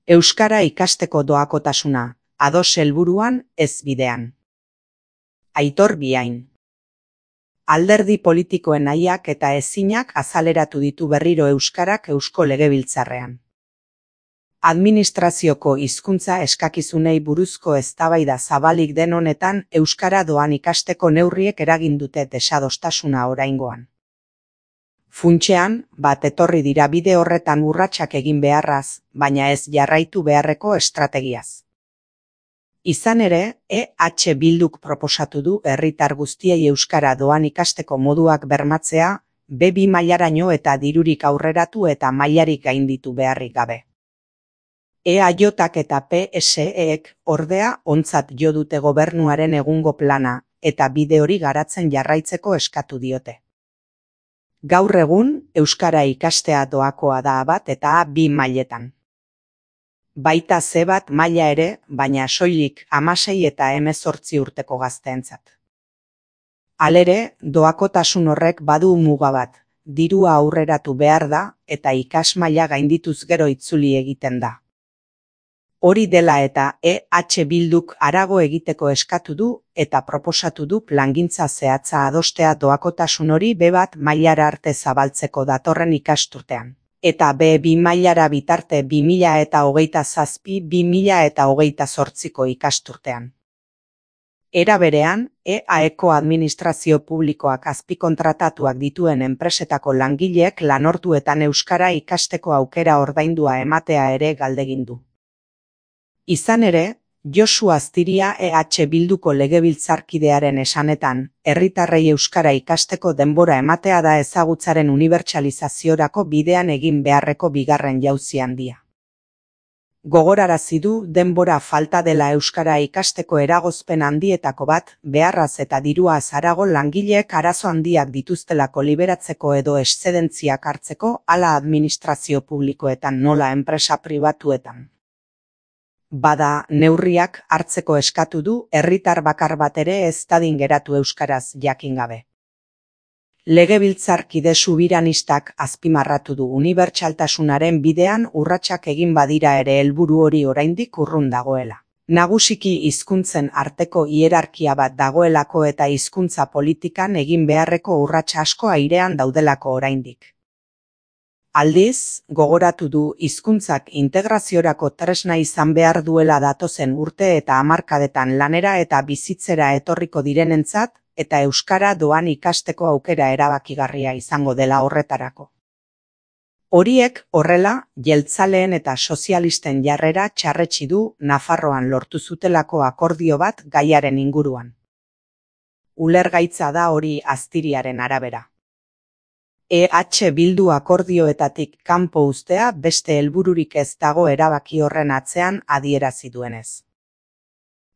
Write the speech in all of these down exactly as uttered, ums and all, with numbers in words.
Euskara ikasteko doakotasuna, ados helburuan, ez bidean. Aitor Biain. Alderdi politikoen nahiak eta ezinak azaleratu ditu berriro euskarak Eusko Legebiltzarrean. Administrazioko hizkuntza eskakizunei buruzko eztabaida zabalik den honetan euskara doan ikasteko neurriek eragin dute desadostasuna oraingoan. Funtsean, bat etorri dira bide horretan urratsak egin beharraz, baina ez jarraitu beharreko estrategiaz. Izan ere, E H Bilduk proposatu du herritar guztiei euskara doan ikasteko moduak bermatzea, be bi mailaraino eta dirurik aurreratu eta mailarik gainditu beharrik gabe. E A Jk eta P S Ek, ordea, ontzat jo dute gobernuaren egungo plana, eta bide hori garatzen jarraitzeko eskatu diote. Gaur egun, euskara ikastea doakoa da A bat eta A bi mailetan. Baita C bat maila ere, baina soilik hamasei eta hemezortzi urteko gazteentzat. Halere, doakotasun horrek badu muga bat, dirua aurreratu behar da eta ikasmaila gaindituz gero itzuli egiten da. Hori dela eta E H Bilduk harago egiteko eskatu du eta proposatu du plangintza zehatza adostea doakotasun hori be bat mailara arte zabaltzeko datorren ikasturtean. Eta be bi mailara bitarte bi mila eta hogeita zazpi bi mila eta hogeita zortziko ikasturtean. Era berean, E A Eko administrazio publikoak azpikontratatuak dituen enpresetako langileek lanorduetan euskara ikasteko aukera ordaindua ematea ere galdegin du. Izan ere, Josu Astiria E H Bilduko legebiltzarkidearen esanetan, herritarrei euskara ikasteko denbora ematea da ezagutzaren unibertsalizaziorako bidean egin beharreko bigarren jauzi handia. Gogorarazi du denbora falta dela euskara ikasteko eragozpen handietako bat, beharraz eta diruaz harago langileek arazo handiak dituztelako liberatzeko edo eszedentziak hartzeko, hala administrazio publikoetan nola enpresa pribatuetan. Bada, neurriak hartzeko eskatu du herritar bakar bat ere ez dadin geratu euskaraz jakin gabe. Legebiltzarkide subiranistak azpimarratu du unibertsaltasunaren bidean urratsak egin badira ere helburu hori oraindik urrun dagoela. Nagusiki hizkuntzen arteko hierarkia bat dagoelako eta hizkuntza politikan egin beharreko urrats asko airean daudelako oraindik. Aldiz, gogoratu du hizkuntzak integraziorako tresna izan behar duela datozen urte eta hamarkadetan lanera eta bizitzera etorriko direnentzat, eta euskara doan ikasteko aukera erabakigarria izango dela horretarako. Horiek, horrela, jeltzaleen eta sozialisten jarrera txarretsi du Nafarroan lortu zutelako akordio bat gaiaren inguruan. Ulergaitza da hori Astiriaren arabera. E H Bildu akordioetatik kanpo uztea beste helbururik ez dago erabaki horren atzean adierazi duenez.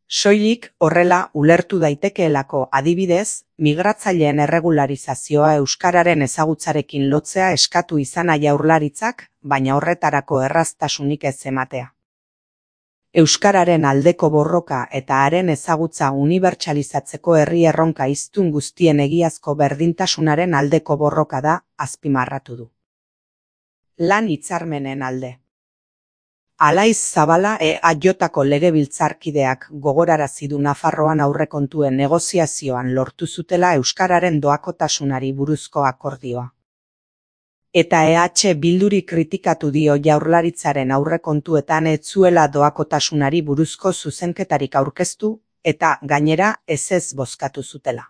Soilik horrela ulertu daitekeelako adibidez, migratzaileen erregularizazioa euskararen ezagutzarekin lotzea eskatu izana Jaurlaritzak, baina horretarako erraztasunik ez ematea. Euskararen aldeko borroka eta haren ezagutza unibertsalizatzeko herri erronka hiztun guztien egiazko berdintasunaren aldeko borroka da, azpimarratu du. Lan hitzarmenen alde. Alaiz Zabala E A Jko legebiltzarkideak gogorarazi du Nafarroan aurrekontuen negoziazioan lortu zutela euskararen doakotasunari buruzko akordioa. Eta E H Bilduri kritikatu dio Jaurlaritzaren aurrekontuetan ez zuela doakotasunari buruzko zuzenketarik aurkeztu, eta gainera ezez bozkatu zutela.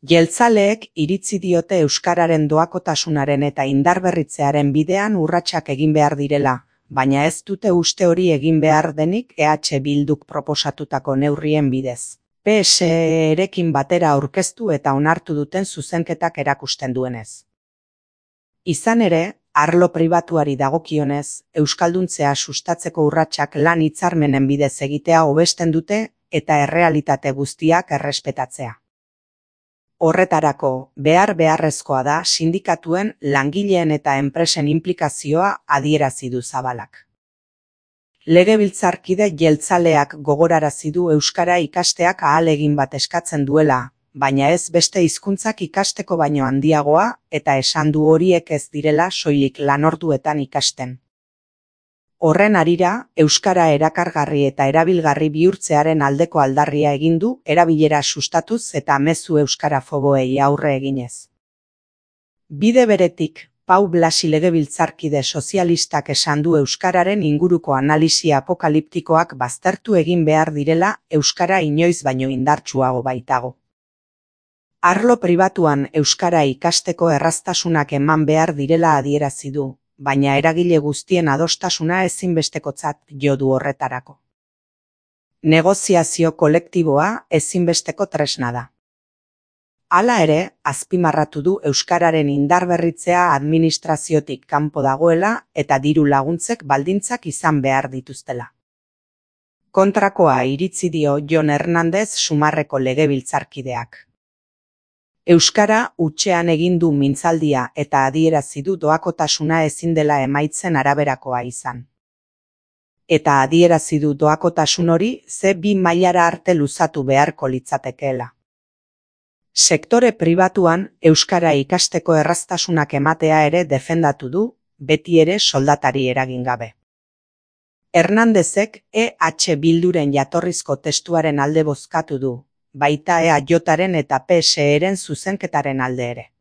Jeltzaleek iritzi diote euskararen doakotasunaren eta indarberritzearen bidean urratsak egin behar direla, baina ez dute uste hori egin behar denik E H Bilduk proposatutako neurrien bidez. P S Erekin batera aurkeztu eta onartu duten zuzenketak erakusten duenez. Izan ere, arlo pribatuari dagokionez, euskalduntzea sustatzeko urratsak lan hitzarmenen bidez egitea hobesten dute eta errealitate guztiak errespetatzea. Horretarako, behar beharrezkoa da sindikatuen, langileen eta enpresen inplikazioa adierazi du Zabalak. Legebiltzarkide jeltzaleak gogorarazi du euskara ikasteak ahalegin bat eskatzen duela, baina ez beste hizkuntzak ikasteko baino handiagoa eta esan du horiek ez direla soilik lanorduetan ikasten. Horren harira, euskara erakargarri eta erabilgarri bihurtzearen aldeko aldarria egin du, erabilera sustatuz eta mezu euskarafoboei aurre eginez. Bide beretik, Pau Blasi legebiltzarkide sozialistak esan du euskararen inguruko analisi apokaliptikoak baztertu egin behar direla, euskara inoiz baino indartsuago baitago. Arlo pribatuan euskara ikasteko erraztasunak eman behar direla adierazi du, baina eragile guztien adostasuna ezinbestekotzat jo du horretarako. Negoziazio kolektiboa ezinbesteko tresna da. Hala ere, azpimarratu du euskararen indarberritzea administraziotik kanpo dagoela eta diru laguntzek baldintzak izan behar dituztela. Kontrakoa iritzi dio Jon Hernandez Sumarreko legebiltzarkideak. Euskara hutsean egin du mintzaldia eta adierazi du doakotasuna ezin dela emaitzen araberakoa izan. Eta adierazi du doakotasun hori ze bi mailara arte luzatu beharko litzatekeela. Sektore pribatuan euskara ikasteko erraztasunak ematea ere defendatu du, beti ere soldatari eragin gabe. Hernandezek E H Bilduren jatorrizko testuaren alde bozkatu du, baita E A Jaren eta P S Eren zuzenketaren alde ere.